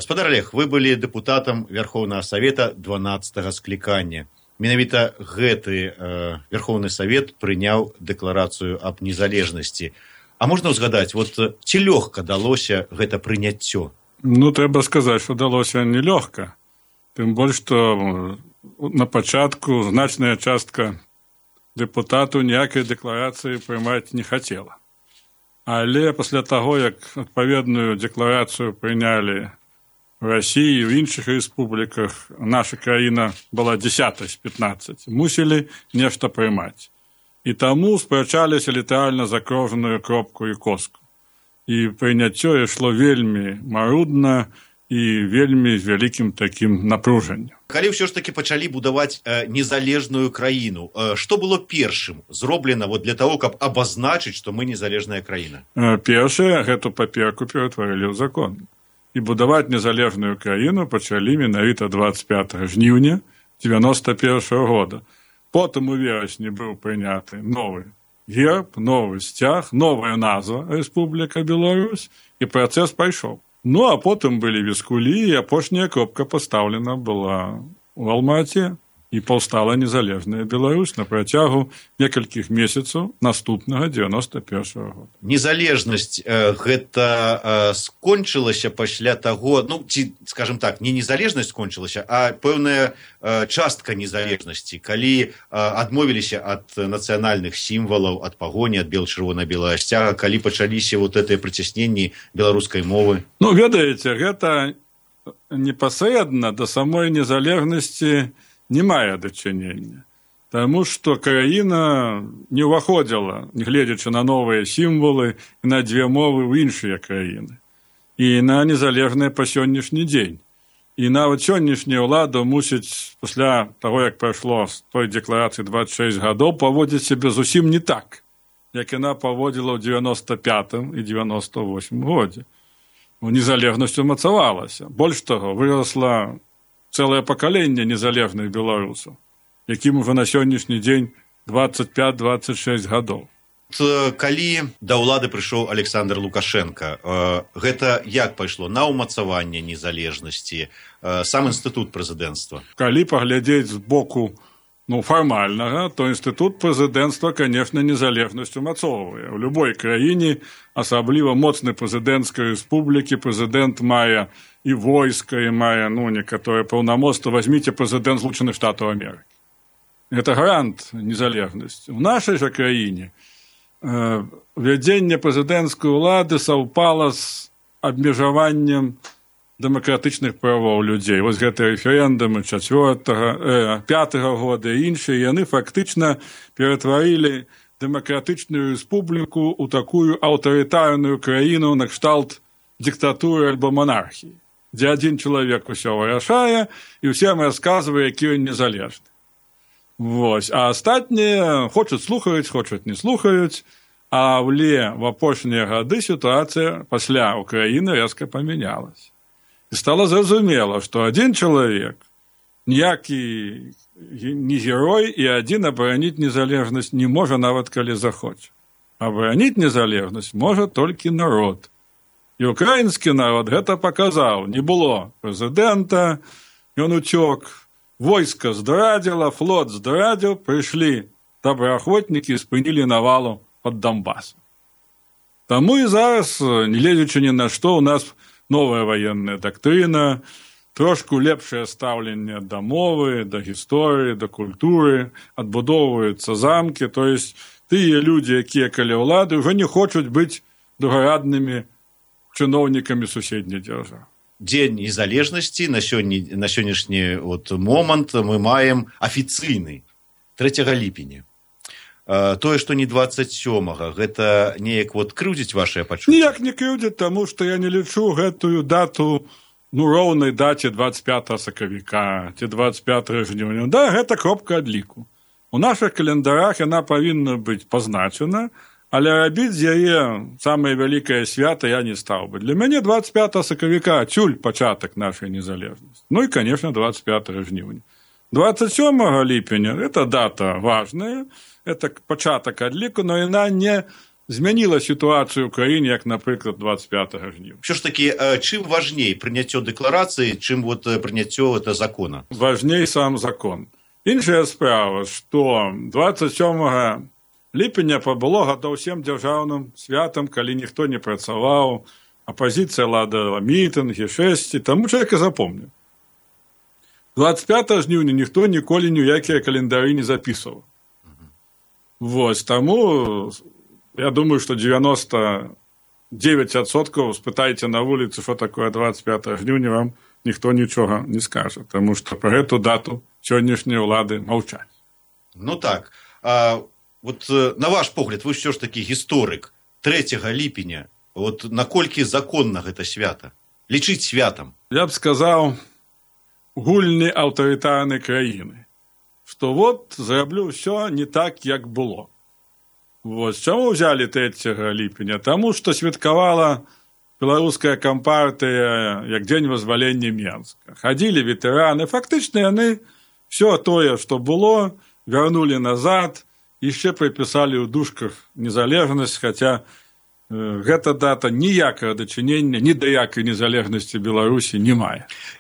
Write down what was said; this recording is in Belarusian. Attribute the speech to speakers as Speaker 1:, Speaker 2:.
Speaker 1: Гаспадар Олег, вы былі дэпутатам Верховнага Савета 12-го склікання. Менавіта гэты Верховны Савет прыняў дэкларацыю аб незалежнасці. А можна ўзгадаць, ці лёгка далося гэта прыняццё?
Speaker 2: Трэба сказаць, што далося нелёгка. Тым больш, што на пачатку значная частка дэпутатаў ніякай дэкларацыі прымаць не хацела. Але пасля таго, як адпаведную дэкларацыю прынялі в России и в іншых республиках, наша краіна была 10 з 15, мусілі нешта прымаць. І таму спрачаліся літаральна за кожную кропку і коску. І прыняццё ішло вельмі марудна і вельмі з вялікім такім напружаннем.
Speaker 1: Калі ўсё ж такі пачалі будаваць незалежную краіну, што было першым зроблена для того, каб абазначыць, што мы незалежная краіна?
Speaker 2: Першае, гэту паперку ператварылі ў закон. І будаваць незалежную краіну пачалі менавіта 25 жніўня 91 года. Потым у верасні быў прыняты новы герб, новы сцяг, новая назва Рэспубліка Беларусь, і працэс пайшоў. А потым былі віскулі, і апошняя кропка пастаўлена была ў Алмаце, і паўстала незалежная Беларусь на працягу некалькіх месяцаў наступнага 91 года.
Speaker 1: Незалежнасць гэта скончылася пасля таго, ці, скажем так, не незалежнасць скончылася, а пэўная частка незалежнасці, калі адмовіліся ад нацыянальных сімвалаў, ад пагоні, ад бел-чырвона-белага сцяга, калі пачаліся гэтыя прыцясненні беларускай мовы.
Speaker 2: Ведаеце, гэта непасрэдна да самой незалежнасці не мае дачынення. Таму што краіна не ўваходзіла, нягледзячы на новыя сімвалы і на дзве мовы ў іншыя краіны. І на незалежныя па сённяшні дзень. І нават сённяшняя ўлада мусіць пасля таго, як прайшло з той дэкларацыі 26 гадоў, паводзіць сябе зусім не так, як яна паводзіла ў 95 і 98 годзе. Незалежнасць умацавалася. Больш таго, вырасла цэлае пакаленне незалежных беларусаў, якім ужо на сённяшні дзень 25-26 гадоў.
Speaker 1: Калі да ўлады прыйшоў Александр Лукашенко, гэта як пайшло? На ўмацаванне незалежнасці, сам інстытут прэзідэнцтва?
Speaker 2: Калі паглядзець з боку фармальнага, то інстытут прэзідэнцтва, конечно, незалежнасць умацоўвае. У любой краіне, асабліва моцнай прэзідэнцкай рэспублікі, прэзідэнт мае і войска, і мае, некаторыя паўнамоцтва. Возьмите прэзідэнт Злучаных Штатаў Амерыкі. Гэта гарант незалежнасці. У нашай жа краіне вядзенне прэзідэнцкай улады саўпала з абмежаваннем дэмакратычных правоў людзей. Гэты рэферэндумы 4-го, 5-го года і іншыя, яны фактычна ператварылі дэмакратычную рэспубліку ў такую аўтарытарную краіну на кшталт дыктатуры альбо монархіі, дзе адзін чалавек усё вырашае і ўсім расказвае, які ён незалежны. А астатнія хочуць слухаюць, хочуць не слухаюць, але в апошнія гады сітуацыя пасля Украіны рэзка памянялася. І стала зразумела, што адзін чалавек, ніякі не герой, і адзін абараніць незалежнасць не можа, нават калі захоча. Абараніць незалежнасць можа толькі народ. І украінскі народ гэта паказаў. Не было прэзідэнта, ён уцёк, войска здрадзіла, флот здрадзіў, прыйшлі добраахвотнікі і спынілі навалу пад Донбасом. Таму і зараз, не гледзячы ні на што, у нас новая военная доктрина, трошку лепшее стаўленне да мовы, да гісторыі, да культуры, адбудоўваюцца замкі, то есть тыя людзі, якія каля ўлады, ўжо не хочуць быць другараднымі чыноўнікамі суседняй дзяржавы.
Speaker 1: Дзень незалежнасці на сённяшні момант мы маем афіцыйны 3 ліпеня. Тое, што не 27-го, гэта неяк крыўдзіць вашыя пачуцці?
Speaker 2: Ніяк не крыўдзіць, таму што я не лічу гэтую дату роўнай даце 25 сакавіка ці 25 жніўня. Гэта кропка адліку. У нашых календарах яна павінна быць пазначана, але рабіць з яе самае вялікае свята я не стаў бы. Для мяне 25 сакавіка цюль пачатак нашай незалежнасці. І, конечно, 25 жніўня. 27 ліпеня – это дата важная, это пачатак адліку, но яна не змяніла сітуацыю ў краіне, як, напрыклад, 25 жніўня.
Speaker 1: Що ж таки, чым важней прыняццё дэкларацыі, чым вот прыняццё это закона?
Speaker 2: Важней сам закон. Іншая справа, што 27 ліпеня было гадоў 7 дзяржаўным святам, калі ніхто не працаваў, апазіцыя ладала мітынгі, шэсці, таму чалавек і запомніў. 25 жніўня ніхто ніколі ніякія календары не запісваў. Вось, таму я думаю, што 99% спытайце на вуліцы, што такое 25 жніўня, вам ніхто нічога не скажа, таму што пра гэту дату сённяшнія ўлады маўчаць.
Speaker 1: Ну так, вот на ваш погляд, вы ўсё ж такі гісторык, 3 ліпеня, вот наколькі законна гэта свята? Лічыць святам?
Speaker 2: Я б сказаў, гульні аўтарытарнай краіны, што вот зраблю ўсё не так, як было. Вось, чаму ўзялі 3 ліпеня? Таму, што святкавала беларуская кампартыя як дзень вызвалення Менска. Хадзілі ветэраны, фактычна яны все тое, што было, вярнулі назад, яшчэ прыпісалі ў дужках незалежнасць, хаця гэта дата ніякага дачынення ні да якай незалежнасці Беларусі не мае.